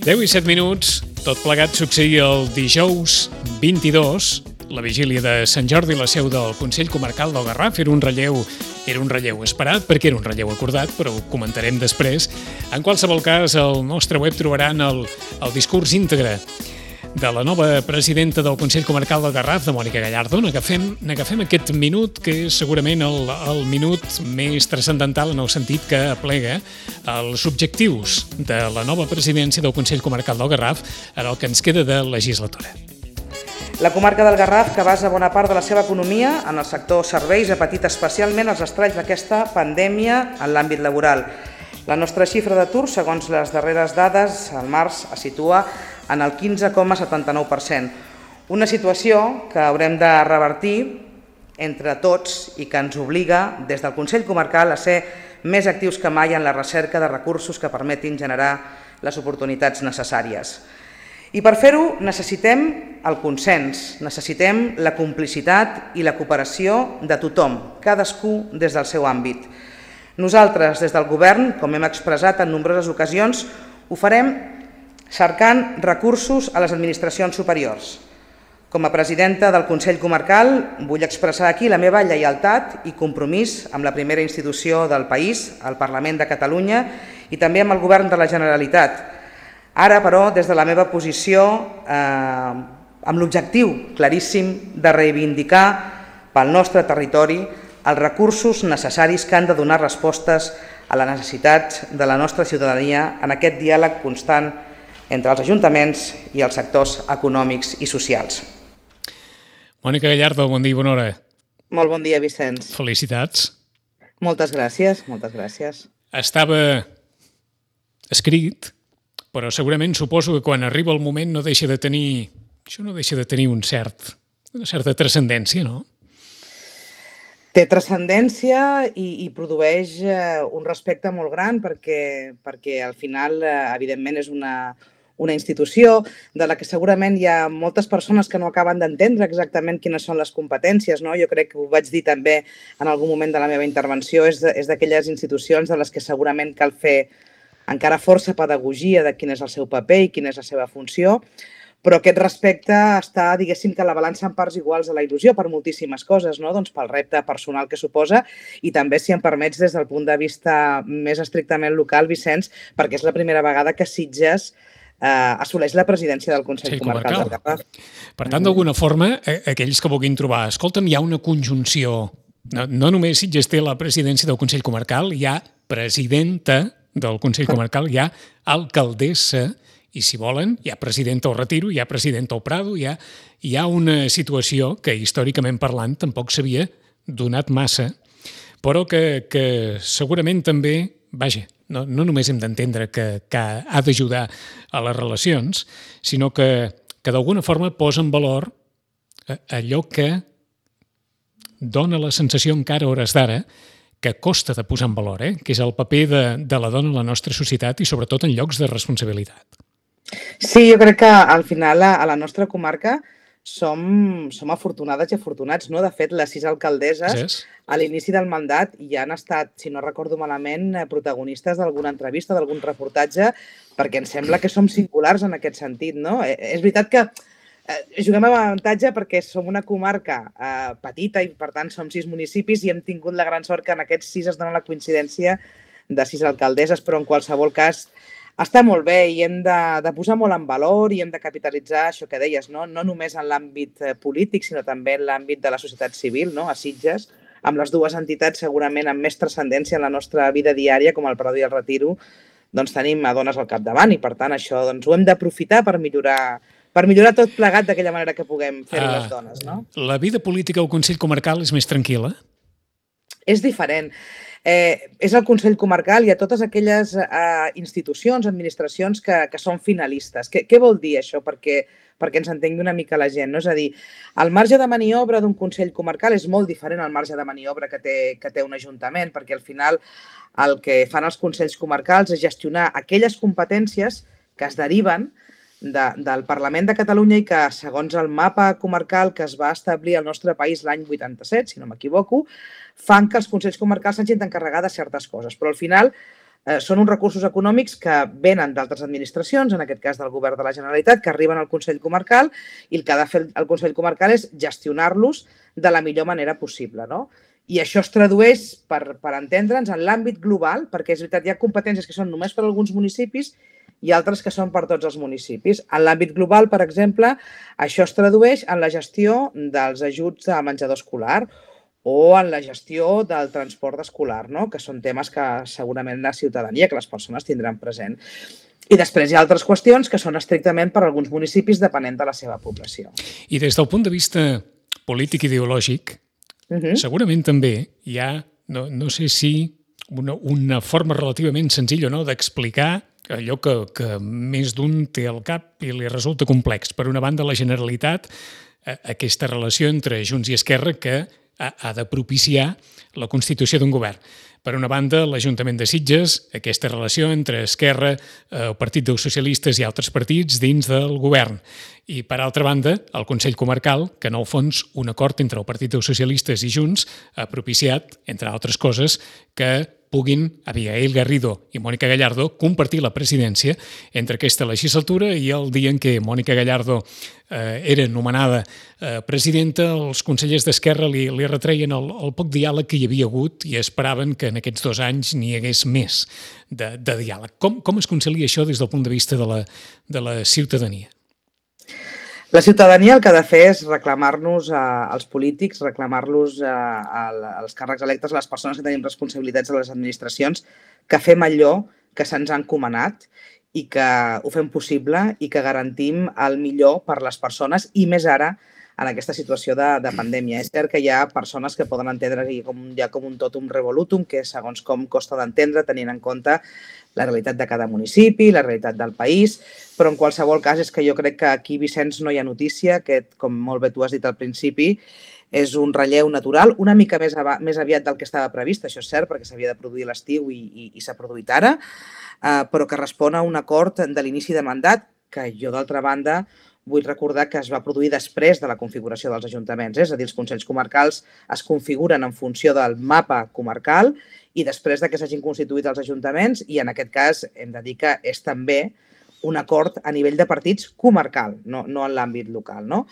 10 i 7 minuts, tot plegat succeïa el dijous 22, la vigília de Sant Jordi, la seu del Consell Comarcal del Garraf. Era un relleu esperat, perquè era un relleu acordat, però ho comentarem després. En qualsevol cas, al nostre web trobaran el discurs íntegre de la nova presidenta del Consell Comarcal del Garraf, de Mònica Gallardo. N'agafem aquest minut, que és segurament el minut més transcendental en el sentit que aplega els objectius de la nova presidència del Consell Comarcal del Garraf en el que ens queda de legislatura. La comarca del Garraf, que basa bona part de la seva economia en el sector serveis, ha patit especialment els estralls d'aquesta pandèmia en l'àmbit laboral. La nostra xifra d'atur, segons les darreres dades, al març es situa en el 15,79%. Una situació que haurem de revertir entre tots i que ens obliga des del Consell Comarcal a ser més actius que mai en la recerca de recursos que permetin generar les oportunitats necessàries. I per fer-ho necessitem el consens, necessitem la complicitat i la cooperació de tothom, cadascú des del seu àmbit. Nosaltres, des del Govern, com hem expressat en nombroses ocasions, ho farem cercant recursos a les administracions superiors. Com a presidenta del Consell Comarcal vull expressar aquí la meva lleialtat i compromís amb la primera institució del país, el Parlament de Catalunya, i també amb el Govern de la Generalitat. Ara, però, des de la meva posició, amb l'objectiu claríssim de reivindicar pel nostre territori els recursos necessaris que han de donar respostes a les necessitats de la nostra ciutadania en aquest diàleg constant entre els ajuntaments i els sectors econòmics i socials. Mònica Gallardo, bon dia i bona hora. Molt bon dia, Vicenç. Felicitats. Moltes gràcies, moltes gràcies. Estava escrit, però segurament suposo que quan arriba el moment no deixa de tenir una certa transcendència, no? Té transcendència i produeix un respecte molt gran perquè al final, evidentment, és una institució de la que segurament hi ha moltes persones que no acaben d'entendre exactament quines són les competències, no? Jo crec que ho vaig dir també en algun moment de la meva intervenció, és d'aquelles institucions de les que segurament cal fer encara força pedagogia de quin és el seu paper i quina és la seva funció, però aquest respecte està, diguéssim, que a la balança en parts iguals a la il·lusió per moltíssimes coses, no? Doncs pel repte personal que suposa i també, si em permets, des del punt de vista més estrictament local, Vicenç, perquè és la primera vegada que Sitges assoleix la presidència del Consell Comarcal del Garraf. Per tant, d'alguna forma, aquells que vulguin trobar, escolta'm, hi ha una conjunció. No només Sitges té la presidència del Consell Comarcal, hi ha presidenta del Consell Comarcal, hi ha alcaldessa, i si volen, hi ha presidenta al Retiro, hi ha presidenta al Prado, hi ha una situació que històricament parlant tampoc s'havia donat massa, però que segurament també, vaja, no només hem d'entendre que ha d'ajudar a les relacions, sinó que d'alguna forma posa en valor allò que dona la sensació encara a hores d'ara que costa de posar en valor, que és el paper de la dona en la nostra societat i sobretot en llocs de responsabilitat. Sí, jo crec que al final a la nostra comarca som afortunades i afortunats, no? De fet, les 6 alcaldesses a l'inici del mandat ja han estat, si no recordo malament, protagonistes d'alguna entrevista, d'algun reportatge, perquè em sembla que som singulars en aquest sentit, no? És veritat que juguem amb avantatge perquè som una comarca petita i, per tant, som 6 municipis i hem tingut la gran sort que en aquests 6 es dona la coincidència de 6 alcaldesses, però en qualsevol cas està molt bé i hem de posar molt en valor i hem de capitalitzar això que deies, no només en l'àmbit polític, sinó també en l'àmbit de la societat civil, no? A Sitges, amb les dues entitats segurament amb més transcendència en la nostra vida diària, com el Prado i el Retiro, doncs tenim a dones al capdavant i, per tant, això doncs, ho hem d'aprofitar per millorar tot plegat d'aquella manera que puguem fer les dones, no? La vida política al Consell Comarcal és més tranquil·la? És diferent. És el Consell Comarcal i a totes aquelles institucions, administracions que són finalistes. Què vol dir això perquè ens entengui una mica la gent? No? És a dir, el marge de maniobra d'un Consell Comarcal és molt diferent al marge de maniobra que té un ajuntament, perquè al final el que fan els Consells Comarcals és gestionar aquelles competències que es deriven del Parlament de Catalunya i que, segons el mapa comarcal que es va establir al nostre país l'any 87, si no m'equivoco, fan que els Consells Comarcals s'hagin d'encarregar de certes coses. Però al final Són uns recursos econòmics que venen d'altres administracions, en aquest cas del Govern de la Generalitat, que arriben al Consell Comarcal i el que ha de fer el Consell Comarcal és gestionar-los de la millor manera possible, no? I això es tradueix, per entendre'ns, en l'àmbit global, perquè és veritat, hi ha competències que són només per a alguns municipis i altres que són per tots els municipis. En l'àmbit global, per exemple, això es tradueix en la gestió dels ajuts a menjador escolar o en la gestió del transport escolar, no? Que són temes que segurament la ciutadania, que les persones tindran present. I després hi ha altres qüestions que són estrictament per a alguns municipis depenent de la seva població. I des del punt de vista polític ideològic, segurament també hi ha, no sé si una forma relativament senzilla o no d'explicar allò que més d'un té al cap i li resulta complex. Per una banda, la Generalitat, aquesta relació entre Junts i Esquerra que ha de propiciar la constitució d'un govern. Per una banda, l'Ajuntament de Sitges, aquesta relació entre Esquerra, el Partit dels Socialistes i altres partits dins del govern. I, per altra banda, el Consell Comarcal, que en el fons un acord entre el Partit dels Socialistes i Junts ha propiciat, entre altres coses, que puguin Abigail Garrido i Mònica Gallardo compartir la presidència entre aquesta legislatura i el dia en què Mònica Gallardo era nomenada presidenta, els consellers d'Esquerra li retreien el poc diàleg que hi havia hagut i esperaven que en aquests 2 anys n'hi hagués més de diàleg. Com es concilia això des del punt de vista de la ciutadania? La ciutadania el que ha de fer és reclamar-nos als polítics, reclamar-los als càrrecs electes, a les persones que tenim responsabilitats a les administracions, que fem allò que se'ns ha encomanat i que ho fem possible i que garantim el millor per les persones i més ara en aquesta situació de pandèmia. És cert que hi ha persones que poden entendre que hi ha com un totum revolutum, que segons com costa d'entendre, tenint en compte la realitat de cada municipi, la realitat del país, però en qualsevol cas és que jo crec que aquí, Vicenç, no hi ha notícia, que com molt bé tu has dit al principi, és un relleu natural, una mica més aviat del que estava previst, això és cert, perquè s'havia de produir l'estiu i s'ha produït ara, però que respon a un acord de l'inici de mandat, que jo, d'altra banda, vull recordar que es va produir després de la configuració dels ajuntaments, és a dir, els consells comarcals es configuren en funció del mapa comarcal i després que s'hagin constituït els ajuntaments, i en aquest cas hem de dir que és també un acord a nivell de partits comarcal, no en l'àmbit local, no?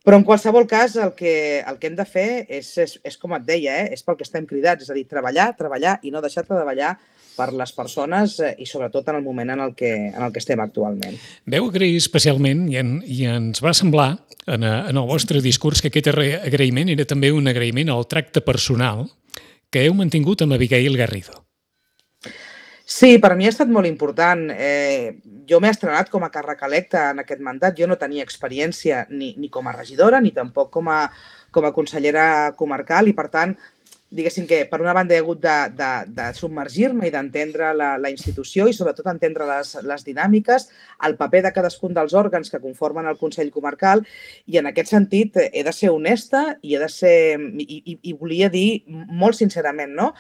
Però en qualsevol cas el que hem de fer és com et deia, és pel que estem cridats, és a dir, treballar i no deixar de treballar per les persones i sobretot en el moment en el que estem actualment. Vau agrair especialment i ens va semblar en el vostre discurs que aquest agraïment era també un agraïment al tracte personal que heu mantingut amb Abigail Garrido. Sí, per mi ha estat molt important. Jo m'he estrenat com a càrrec electe en aquest mandat. Jo no tenia experiència ni com a regidora ni tampoc com a consellera comarcal i, per tant, diguéssim que per una banda he hagut de submergir-me i d'entendre la institució i sobretot entendre les dinàmiques, el paper de cadascun dels òrgans que conformen el Consell Comarcal, i en aquest sentit he de ser honesta i volia dir molt sincerament, no?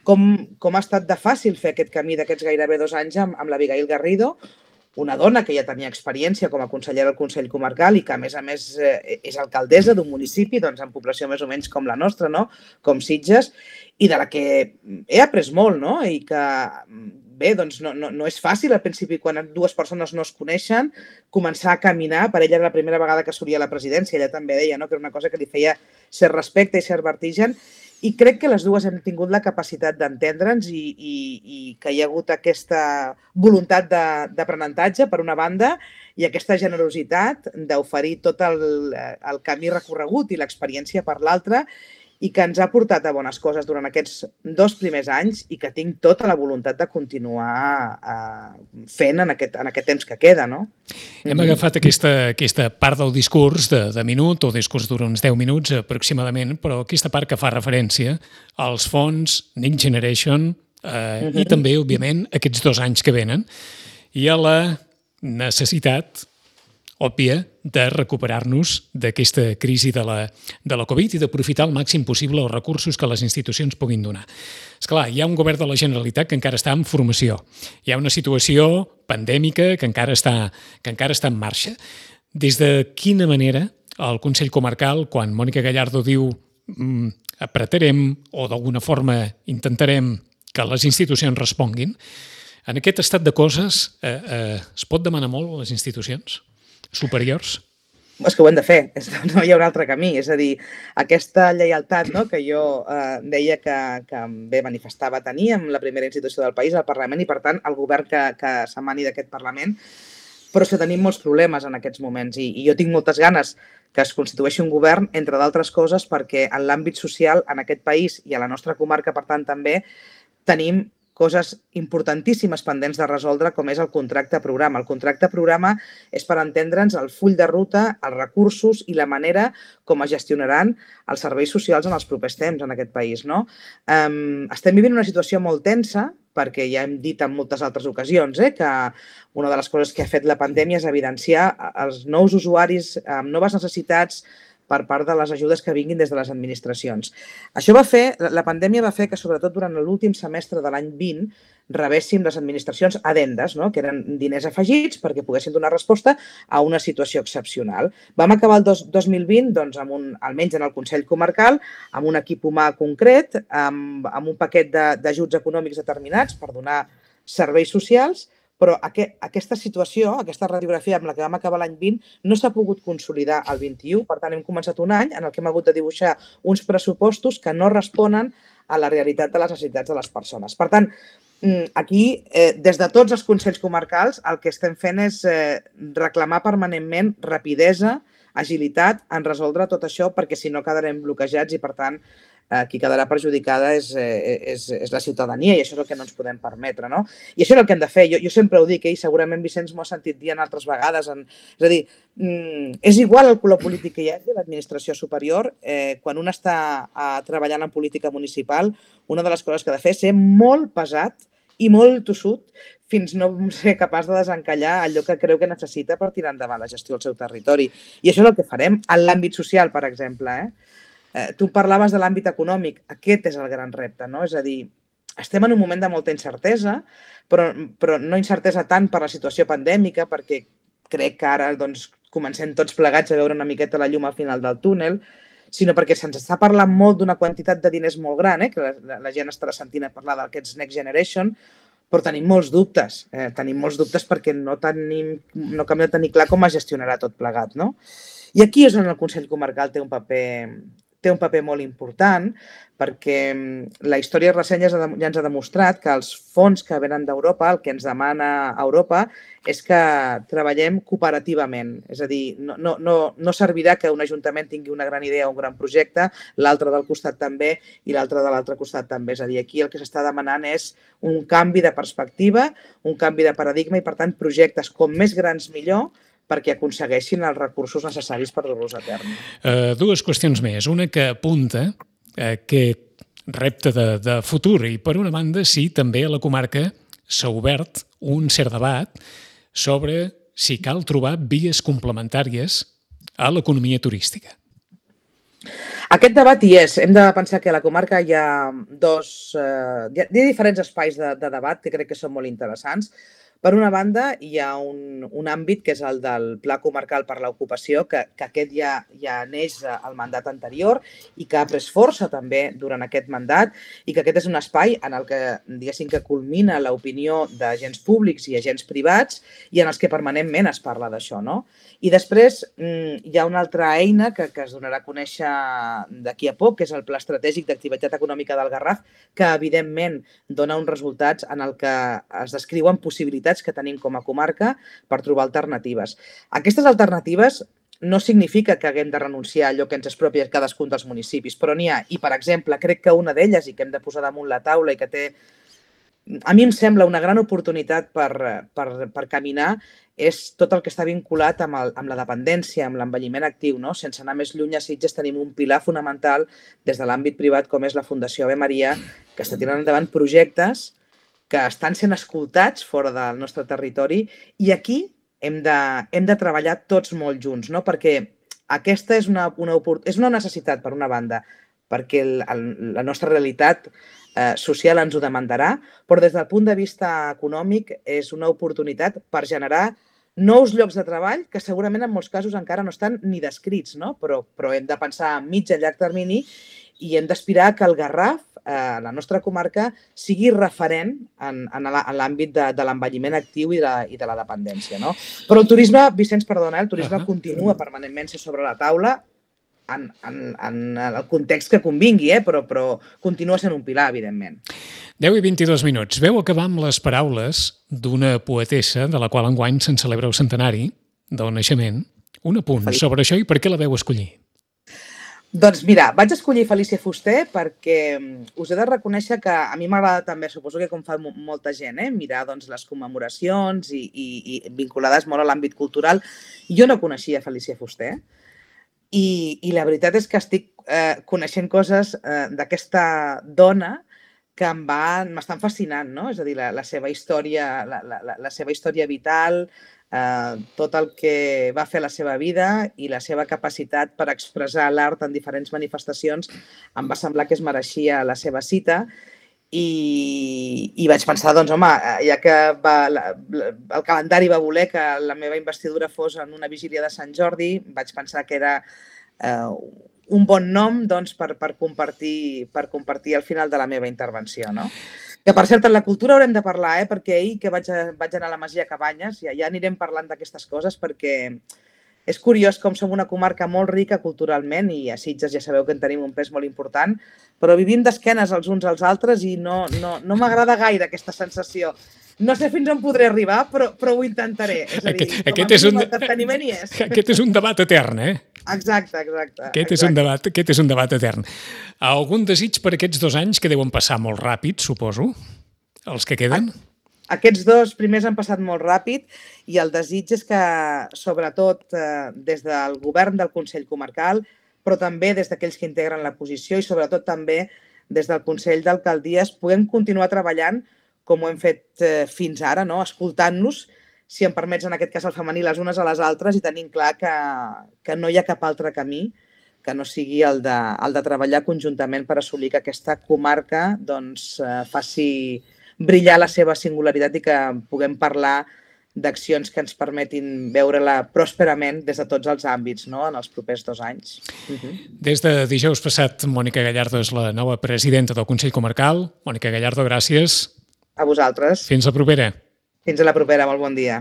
Com ha estat de fàcil fer aquest camí d'aquests gairebé 2 anys amb l'Abigail Garrido, una dona que ja tenia experiència com a consellera del Consell Comarcal i que, a més, és alcaldessa d'un municipi amb població més o menys com la nostra, no? Com Sitges, i de la que he après molt, no? I que, bé, no és fàcil al principi, quan 2 persones no es coneixen, començar a caminar. Per ella era la primera vegada que assolia la presidència, ella també deia que era una cosa que li feia cert respecte i cert vertigen, i crec que les dues hem tingut la capacitat d'entendre'ns i que hi ha hagut aquesta voluntat d'aprenentatge, per una banda, i aquesta generositat d'oferir tot el camí recorregut i l'experiència per l'altra, i que ens ha portat a bones coses durant aquests 2 primers anys i que tinc tota la voluntat de continuar fent en aquest temps que queda, no? Hem agafat aquesta part del discurs de minut, o discurs dura uns 10 minuts aproximadament, però aquesta part que fa referència als fons Next Generation i també, òbviament, aquests 2 anys que venen i a la necessitat òbvia de recuperar-nos d'aquesta crisi de la Covid i d'aprofitar al màxim possible els recursos que les institucions puguin donar. Esclar, hi ha un govern de la Generalitat que encara està en formació. Hi ha una situació pandèmica que encara està en marxa. Des de quina manera el Consell Comarcal, quan Mònica Gallardo diu apretarem o d'alguna forma intentarem que les institucions responguin. En aquest estat de coses es pot demanar molt a les institucions superiors? És que ho hem de fer, no hi ha un altre camí. És a dir, aquesta lleialtat, no?, que jo deia que bé manifestava tenir amb la primera institució del país, el Parlament, i per tant el govern que s'emani d'aquest Parlament, però és que tenim molts problemes en aquests moments i jo tinc moltes ganes que es constitueixi un govern, entre d'altres coses, perquè en l'àmbit social en aquest país i a la nostra comarca, per tant, també tenim coses importantíssimes pendents de resoldre, com és el contracte programa. El contracte programa és, per entendre'ns, el full de ruta, els recursos i la manera com es gestionaran els serveis socials en els propers temps en aquest país, no? Estem vivint una situació molt tensa, perquè ja hem dit en moltes altres ocasions que una de les coses que ha fet la pandèmia és evidenciar els nous usuaris amb noves necessitats per part de les ajudes que vinguin des de les administracions. La pandèmia va fer que, sobretot durant l'últim semestre de l'any 20, rebéssim les administracions addendes, no?, que eren diners afegits perquè poguessin donar resposta a una situació excepcional. Vam acabar el 2020, doncs, almenys en el Consell Comarcal, amb un equip humà concret, amb un paquet d'ajuts econòmics determinats per donar serveis socials, però aquesta situació, aquesta radiografia amb la que vam acabar l'any 20, no s'ha pogut consolidar al 21. Per tant, hem començat un any en el que hem hagut de dibuixar uns pressupostos que no responen a la realitat de les necessitats de les persones. Per tant, aquí, des de tots els consells comarcals, el que estem fent és reclamar permanentment rapidesa, agilitat en resoldre tot això, perquè si no quedarem bloquejats i, per tant, qui quedarà perjudicada és la ciutadania i això és el que no ens podem permetre, no? I això és el que hem de fer. Jo sempre ho dic, i segurament Vicenç m'ho ha sentit dir en altres vegades. És a dir, és igual el color polític que hi hagi a l'administració superior. Quan un està treballant en política municipal, una de les coses que ha de fer és ser molt pesat i molt tossut fins no ser capaç de desencallar allò que creu que necessita per tirar endavant la gestió del seu territori. I això és el que farem en l'àmbit social, per exemple. Tu parlaves de l'àmbit econòmic. Aquest és el gran repte, no? És a dir, estem en un moment de molta incertesa, però no incertesa tant per la situació pandèmica, perquè crec que ara comencem tots plegats a veure una miqueta la llum al final del túnel, sinó perquè se'ns està parlant molt d'una quantitat de diners molt gran, que la gent estarà sentint a parlar d'aquests Next Generation, però tenim molts dubtes. Tenim molts dubtes perquè no acabem de tenir clar com es gestionarà tot plegat, no? I aquí és on el Consell Comarcal té un paper molt important, perquè la història recent ja ens ha demostrat que els fons que venen d'Europa, el que ens demana Europa, és que treballem cooperativament. És a dir, no servirà que un ajuntament tingui una gran idea o un gran projecte, l'altre del costat també i l'altre de l'altre costat també. És a dir, aquí el que s'està demanant és un canvi de perspectiva, un canvi de paradigma i, per tant, projectes com més grans millor, perquè aconsegueixin els recursos necessaris per dur-los a terme. Dues qüestions més. Una que apunta aquest repte de futur i, per una banda, sí, també a la comarca s'ha obert un cert debat sobre si cal trobar vies complementàries a l'economia turística. Aquest debat hi és. Hem de pensar que a la comarca hi ha diferents espais de debat que crec que són molt interessants. Per una banda, hi ha un àmbit que és el del Pla Comarcal per l'Ocupació, que aquest ja neix al mandat anterior i que ha pres força també durant aquest mandat i que aquest és un espai en el que, diguéssim, que culmina l'opinió d'agents públics i agents privats i en els que permanentment es parla d'això, no? I després hi ha una altra eina que es donarà a conèixer d'aquí a poc, que és el Pla Estratègic d'Activitat Econòmica del Garraf, que evidentment dona uns resultats en el que es descriuen possibilitats que tenim com a comarca per trobar alternatives. Aquestes alternatives no significa que haguem de renunciar a allò que ens és propi a cadascun dels municipis, però n'hi ha. I, per exemple, crec que una d'elles, i que hem de posar damunt la taula i que té, a mi em sembla una gran oportunitat per caminar, és tot el que està vinculat amb la dependència, amb l'envelliment actiu, no? Sense anar més lluny, a Sitges tenim un pilar fonamental des de l'àmbit privat, com és la Fundació Ave Maria, que està tirant endavant projectes que estan sent escoltats fora del nostre territori i aquí hem de treballar tots molt junts, no? Perquè aquesta és una necessitat, per una banda, perquè la nostra realitat social ens ho demandarà, però des del punt de vista econòmic és una oportunitat per generar nous llocs de treball que segurament en molts casos encara no estan ni descrits, no? Però hem de pensar a mig i a llarg termini i hem d'aspirar que el Garraf, la nostra comarca, sigui referent en l'àmbit de l'envelliment actiu i de la dependència. No? Però el turisme, Vicenç, perdona, el turisme continua permanentment sobre la taula en el context que convingui, però continua sent un pilar, evidentment. 10 i 22 minuts. Veu acabar amb les paraules d'una poetessa de la qual enguany se'n celebra el centenari del naixement. Un apunt sobre això i per què la veu escollir? Doncs mira, vaig escollir Felícia Fuster perquè us he de reconèixer que a mi m'agrada també, suposo que com fa molta gent, mirar les commemoracions i vinculades molt a l'àmbit cultural. Jo no coneixia Felícia Fuster i la veritat és que estic coneixent coses d'aquesta dona que m'estan fascinant, no? És a dir, la seva història, la seva història vital, tot el que va fer a la seva vida i la seva capacitat per expressar l'art en diferents manifestacions em va semblar que es mereixia la seva cita i vaig pensar, doncs, home, ja que el calendari va voler que la meva investidura fos en una vigília de Sant Jordi, vaig pensar que era un bon nom per compartir al final de la meva intervenció, no? Que, per cert, en la cultura haurem de parlar, perquè ahir que vaig anar a la Masia Cabanyes, ja anirem parlant d'aquestes coses, perquè és curiós com som una comarca molt rica culturalment i a Sitges ja sabeu que en tenim un pes molt important, però vivim d'esquenes els uns als altres i no m'agrada gaire aquesta sensació. No sé fins on podré arribar, però ho intentaré. És a dir, aquest és un debat etern, Exacte. Aquest és un debat etern. Algun desig per aquests 2 anys que deuen passar molt ràpid, suposo, els que queden? Aquests 2 primers han passat molt ràpid i el desig és que, sobretot des del govern del Consell Comarcal, però també des d'aquells que integren la posició i sobretot també des del Consell d'Alcaldies, puguem continuar treballant com ho hem fet fins ara, no? Escoltant-nos, si em permets, en aquest cas el femení, les unes a les altres i tenint clar que no hi ha cap altre camí que no sigui el de treballar conjuntament per assolir que aquesta comarca faci brillar la seva singularitat i que puguem parlar d'accions que ens permetin veure-la pròsperament des de tots els àmbits, no?, en els propers 2 anys. Des de dijous passat, Mònica Gallardo és la nova presidenta del Consell Comarcal. Mònica Gallardo, gràcies. A vosaltres. Fins la propera. Fins a la propera, molt bon dia.